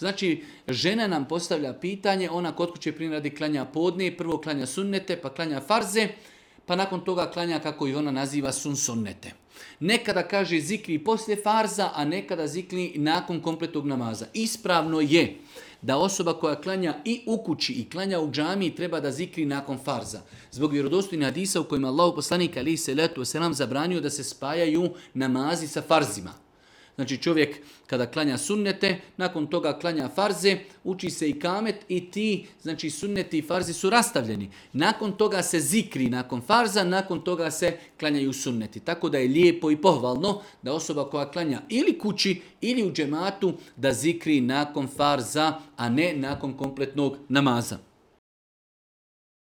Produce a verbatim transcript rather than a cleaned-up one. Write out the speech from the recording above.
Znači, žena nam postavlja pitanje, ona kod kuće prije radi klanja podne, prvo klanja sunnete, pa klanja farze, pa nakon toga klanja, kako i ona naziva, sun sunnete. Nekada kaže zikri poslije farza, a nekada zikri nakon kompletnog namaza. Ispravno je da osoba koja klanja i u kući i klanja u džamiji treba da zikri nakon farza. Zbog vjerodostojnih hadisa u kojima Allahu poslanik alejhi selatu vesselam zabranio da se spajaju namazi sa farzima. Znači čovjek kada klanja sunnete, nakon toga klanja farze, uči se i kamet i ti, znači sunneti i farzi su rastavljeni. Nakon toga se zikri nakon farza, nakon toga se klanjaju sunneti. Tako da je lijepo i pohvalno da osoba koja klanja ili kući ili u džematu da zikri nakon farza, a ne nakon kompletnog namaza.